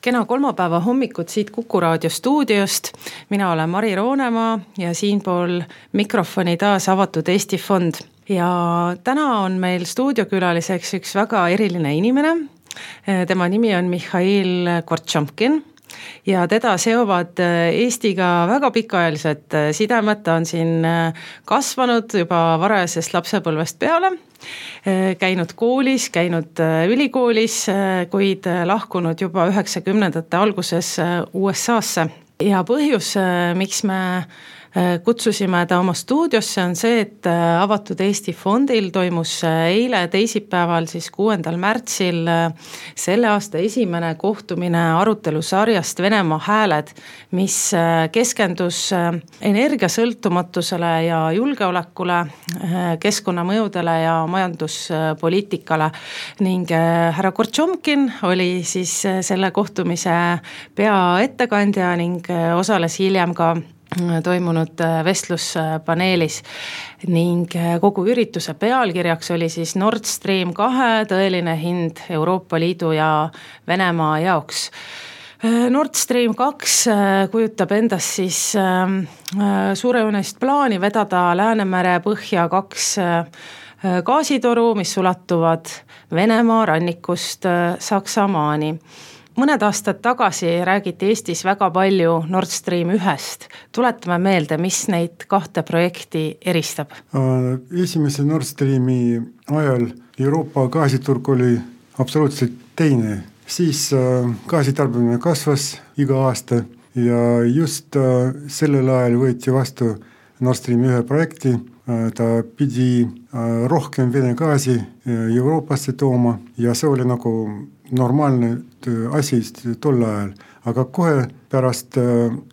Kena kolmapäeva hommikut siit Kuku Raadio stuudiost. Mina olen Mari Roonemaa ja siinpool mikrofoni taas Avatud Eesti Fond. Ja täna on meil stuudiokülaliseks üks väga eriline inimene. Tema nimi on Mihhail Kortšomkin ja teda seovad Eestiga väga pikaajalised sidemed. Ta on siin kasvanud juba varajasest lapsepõlvest peale. Käinud koolis, käinud ülikoolis, kuid lahkunud juba 90ndate alguses USA'sse. Ja põhjus, miks me kutsusime ta oma stuudiosse on see, et Avatud Eesti Fondil toimus eile teisipäeval 6. märtsil selle aasta esimene kohtumine arutelusarjast Venemaa hääled, mis keskendus energiasõltumatusele ja julgeolekule, keskkonnamõjudele ja majanduspoliitikale. Ning härra Kortšomkin oli siis selle kohtumise peaettekandja ning osales hiljem ka toimunud vestluspaneelis ning kogu ürituse pealkirjaks oli siis Nord Stream 2 tõeline hind Euroopa Liidu ja Venemaa jaoks. Nord Stream 2 kujutab endast siis suurejoonelist plaani vedada Läänemere põhja 2 gaasitoru, mis ulatuvad Venemaa rannikust Saksamaani. Mõned aastad tagasi räägiti Eestis väga palju Nord Stream 1-st. Tuletame meelde, mis neid kahte projekti eristab. Esimese Nord Streami ajal Euroopa gaasiturg oli absoluutselt teine. Siis gaasitarbimine kasvas iga aasta ja just sellel ajal võeti vastu Nord Stream 1 projekti. Ta pidi rohkem Vene gaasi Euroopasse tooma ja see oli nagu normaalne asi tol ajal. Aga kohe pärast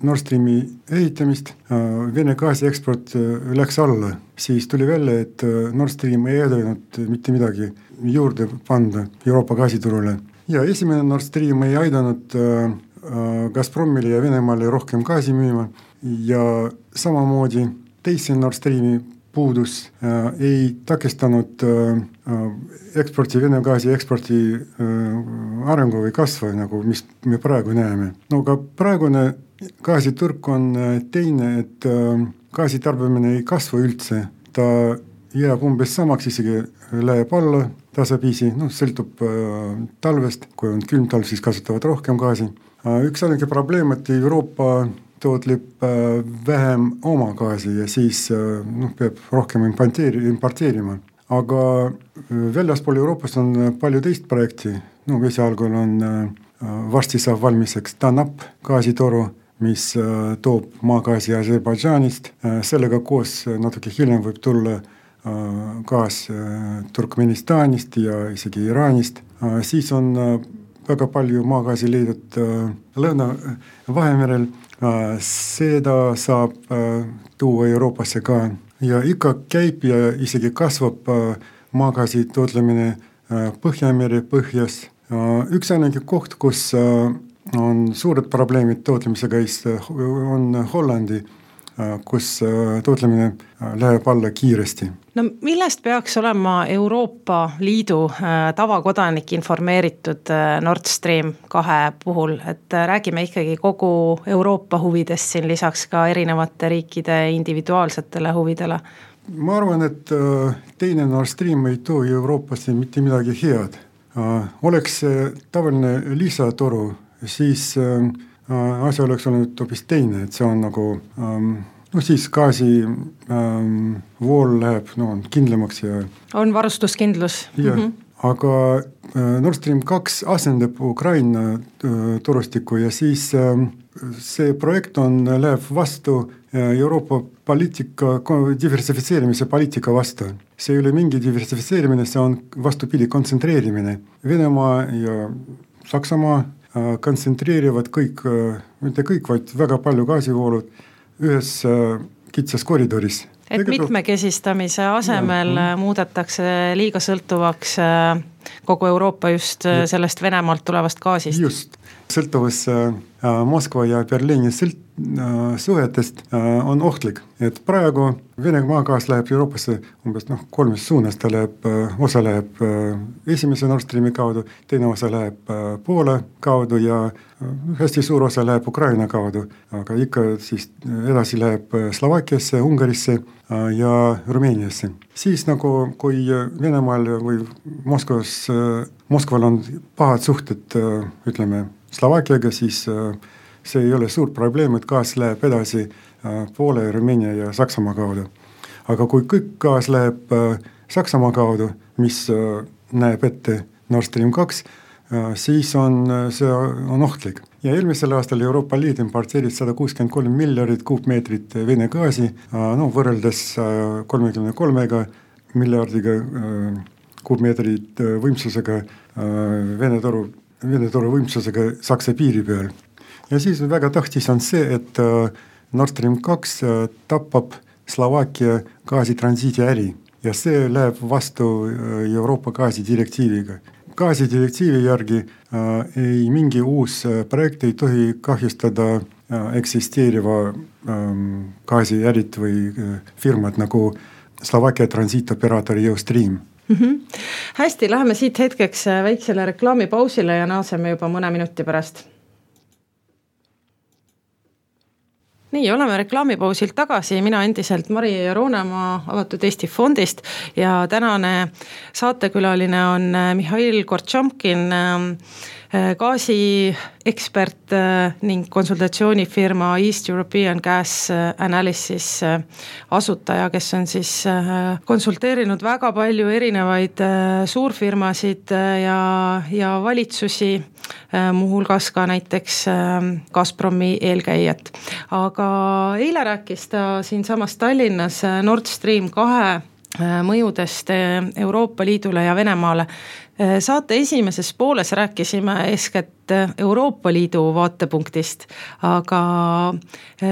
Nord Streami ehitamist Vene gaasi eksport läks alla. Siis tuli välja, et Nord Stream ei aidanud mitte midagi juurde panda Euroopa gaasiturule. Ja esimene Nord Stream ei aidanud Gazpromile ja Venemaale rohkem gaasi müüma ja samamoodi teise Nord Streami puudus ei takistanud eksporti, Vene gaasi eksporti arengu või kasvu, nagu mis me praegu näeme. No ka praegune gaasiturg on teine, et gaasitarbimine ei kasvu üldse. Ta jääb umbes samaks, isegi läheb alla tasapisi, sõltub talvest. Kui on külm talv, siis kasutavad rohkem gaasi. Üks ainuke probleem, et Euroopa tootleb vähem oma gaasi ja siis peab rohkem importeerima. Aga väljaspool Euroopast on palju teist projekti. Esialgul on varsti saab valmiseks TANAP gaasitoru, mis toob maagaasi Aserbaidžaanist. Sellega koos natuke hiljem võib tulla gaas Turkmenistanist ja isegi Iraanist. Siis on väga palju maagaasi leidnud Lõuna-Vahemerel. Seda saab tuua Euroopasse ka ja ikka käib ja isegi kasvab maagaasi tootlemine Põhjamere põhjas. Üks ainuke koht, kus on suured probleemid tootlemisega, on Hollandi, kus tootlemine läheb alla kiiresti. No millest peaks olema Euroopa Liidu tavakodanik informeeritud Nord Stream 2 puhul, et räägime ikkagi kogu Euroopa huvidest siin lisaks ka erinevate riikide individuaalsetele huvidele? Ma arvan, et teine Nord Stream ei too Euroopasse mitte midagi head. Oleks tavaline lisatoru, siis asja oleks olnud hoopis teine, et see on nagu siis gaasi vool läheb kindlamaks ja on varustuskindlus. Ja, aga Nord Stream 2 asendab Ukraina torustikku ja siis see projekt läheb vastu Euroopa poliitika, diversifitseerimise poliitika vastu. See ei ole mingi diversifitseerimine, see on vastupidi kontsentreerimine. Venemaa ja Saksamaa kontsentreerivad kõik, mitte kõik, vaid väga palju gaasivoolud ühes kitsas koridoris. Et mitmekesistamise asemel muudetakse liiga sõltuvaks kogu Euroopa just sellest Venemaalt tulevast gaasist. Just. Sõltuvus Moskva ja Berliini suhetest on ohtlik, et praegu Vene maagaas läheb Euroopasse umbes kolmes suunas, ta läheb, osa läheb esimese Nord Streami kaudu, teine osa läheb Poola kaudu ja hästi suur osa läheb Ukraina kaudu, aga ikka siis edasi läheb Slovakkiasse, Ungarisse ja Rumeeniasse. Siis kui Venemaal või Moskval on pahad suhted, ütleme, Slovakkiaga, siis see ei ole suur probleem, et gaas läheb edasi Poola, Rumeenia ja Saksamaa kaudu. Aga kui kõik gaas läheb Saksamaa kaudu, mis näeb ette Nord Stream 2, siis see on ohtlik. Ja eelmisel aastal Euroopa Liit importeeris 163 miljardit kuupmeetrit Vene gaasi, võrreldes 33 miljardiga kuupmeetrit võimsusega Vene toru võimsusega Saksa piiri peal. Ja siis väga tähtis on see, et Nord Stream 2 tapab Slovakkia gaasitransiidi äri ja see läheb vastu Euroopa gaasidirektiiviga. Gaasidirektiivi järgi ei mingi uus projekt ei tohi kahjustada eksisteeriva gaasiärit või firmat nagu Slovakkia transiitoperaatori Eustream. Hästi, läheme siit hetkeks väiksele reklaamipausile ja naaseme juba mõne minuti pärast. Nii, oleme reklaamipausilt tagasi, mina endiselt Mari Roonemaa Avatud Eesti Fondist ja tänane saatekülaline on Mihhail Kortšamkin, gaasiekspert ning konsultatsioonifirma East European Gas Analysis asutaja, kes on siis konsulteerinud väga palju erinevaid suurfirmasid ja valitsusi, muuhulgas ka näiteks Gazpromi eelkäijat. Aga eile rääkis ta siinsamas Tallinnas Nord Stream 2 mõjudest Euroopa Liidule ja Venemaale. Saate esimeses pooles rääkisime eeskätt Euroopa Liidu vaatepunktist, aga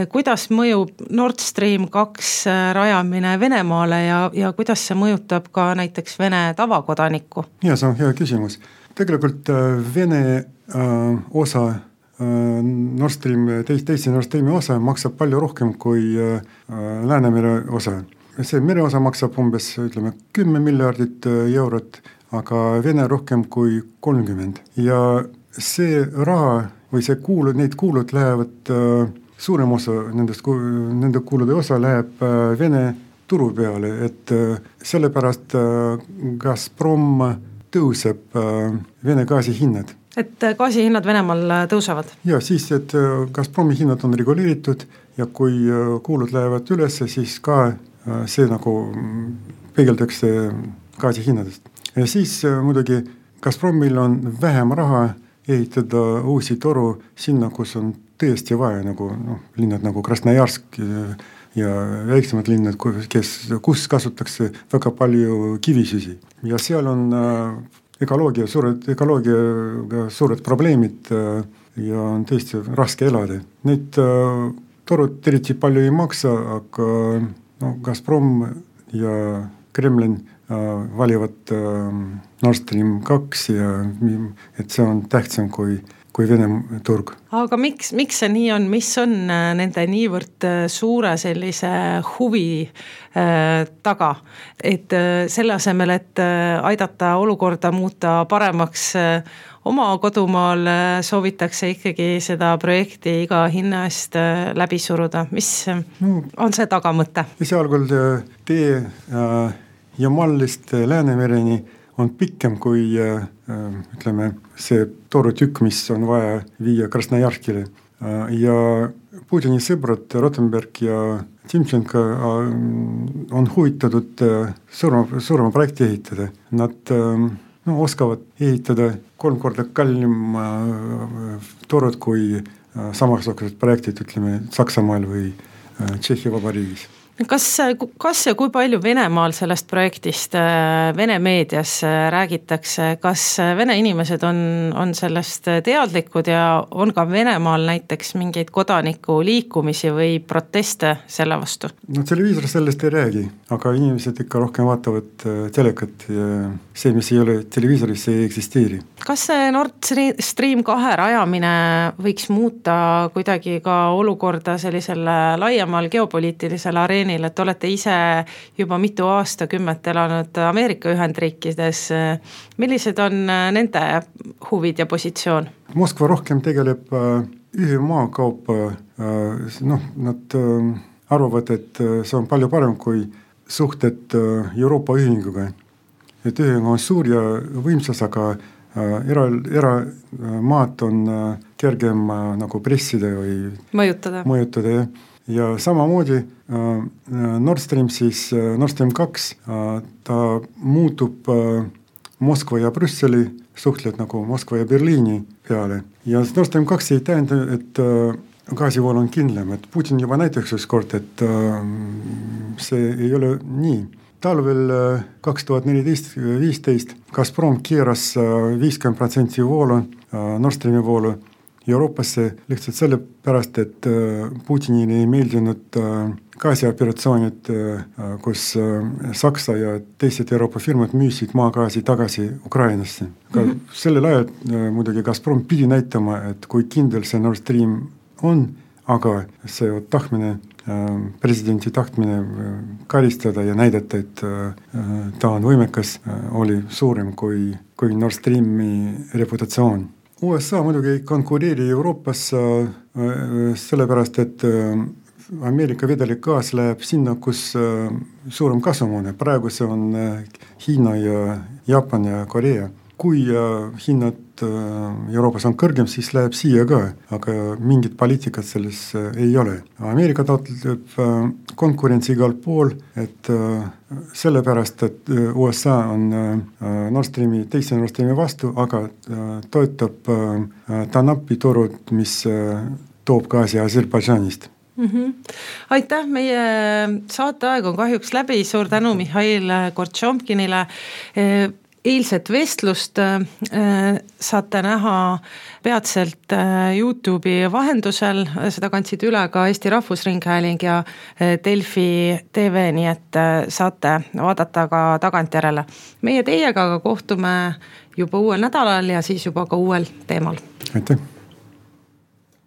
kuidas mõjub Nord Stream 2 rajamine Venemaale ja kuidas see mõjutab ka näiteks Vene tavakodanikku? Ja, see on hea küsimus. Tegelikult Vene osa Nord Stream, teise Nord Streami osa maksab palju rohkem kui Läänemere osa. See mere osa maksab umbes 10 miljardit eurot, aga Vene rohkem kui 30. Ja see raha või need kuulud lähevad, suurem osa nende kuulude osa läheb Vene turu peale, et sellepärast Gazprom tõuseb Vene gaasi hinnad. Et gaasi hinnad Venemaal tõusevad? Ja siis, et Gazpromi hinnad on reguleeritud ja kui kuulud lähevad üles, siis ka see peegeldakse gaasi hinnadest. Ja siis muidugi Gazpromil on vähem raha ehitada uusi toru sinna, kus on tõesti vaja, linnad nagu Krasnojarsk ja väiksemad linnad, kus kasutatakse väga palju kivisüsi. Ja seal on ökoloogiaga suured probleemid ja on tõesti raske elada. Need torud eriti palju ei maksa, aga Gazprom ja Kremlin valivad Nord Stream 2 ja et see on tähtsam kui Vene turg. Aga miks see nii on? Mis on nende niivõrd suure sellise huvi taga? Et selle asemel, et aidata olukorda muuta paremaks oma kodumaal, soovitakse ikkagi seda projekti iga hinna eest läbi suruda. Mis on see tagamõte? Esialgul tee Jamallist Läänemereni on pikem kui see torutükk, mis on vaja viia Krasnojarskile. Ja Putini sõbrad Rotenberg ja Timchenko on huvitatud suurema projekti ehitada. Nad oskavad ehitada 3 korda kallim torud kui samasugused projektid, Saksamaal või Tšehhi Vabariigis. Kas ja kui palju Venemaal sellest projektist Vene meedias räägitakse, kas Vene inimesed on sellest teadlikud ja on ka Venemaal näiteks mingeid kodaniku liikumisi või proteste selle vastu? No televiisor sellest ei räägi, aga inimesed ikka rohkem vaatavad telekat ja see, mis ei ole televiisoris, ei eksisteeri. Kas see Nord Stream 2 rajamine võiks muuta kuidagi ka olukorda sellisele laiemal geopoliitilisele areenil, et olete ise juba mitu aastakümmet elanud Ameerika Ühendriikides. Millised on nende huvid ja positsioon? Moskva rohkem tegeleb ühe maakaupa, nad arvavad, et see on palju parem kui suhted Euroopa ühinguga. Et ühing on suur ja võimsas, aga eramaad on kergem nagu pressida või mõjutada. Ja samamoodi Nord Stream 2, ta muutub Moskva ja Brüsseli suhtled nagu Moskva ja Berliini peale. Ja Nord Stream 2 ei tähenda, et gaasivool on kindlam, et Putin juba näiteks üks kord, et see ei ole nii. Talvel 2014-15 Gazprom keeras 50% voolu, Nord Streami voolu Euroopasse lihtsalt sellepärast, et Putinile ei meeldinud gaasioperaatsioonid, kus Saksa ja teised Euroopa firmad müüsid maagaasi tagasi Ukrainasse. Sellel ajal muidugi Gazprom pidi näitama, et kui kindel see Nord Stream on, aga see tahtmine, presidenti tahtmine karistada ja näidata, et ta on võimekas, oli suurem kui Nord Streami reputatsioon. USA muidugi ei konkureeri Euroopas sellepärast, et Ameerika vedelik gaas läheb sinna, kus suurem kasum on. Praegu see on Hiina ja Jaapan ja Korea. Kui hinnad Euroopas on kõrgem, siis läheb siia ka, aga mingit poliitikat selles ei ole. Ameerika taotleb konkurentsi igal pool, et sellepärast, et USA on teise Nord Streami vastu, aga toetab Tanapi turud, mis toob gaasi Aserbaidžanist. Aitäh, meie saateaeg on kahjuks läbi, suur tänu Mihhail Gortšomkinile. Eilset vestlust saate näha peatselt YouTube'i vahendusel, seda kandsid üle ka Eesti Rahvusringhääling ja Delfi TV, nii et saate vaadata ka tagantjärele. Meie teiega kohtume juba uuel nädalal ja siis juba ka uuel teemal. Aitäh!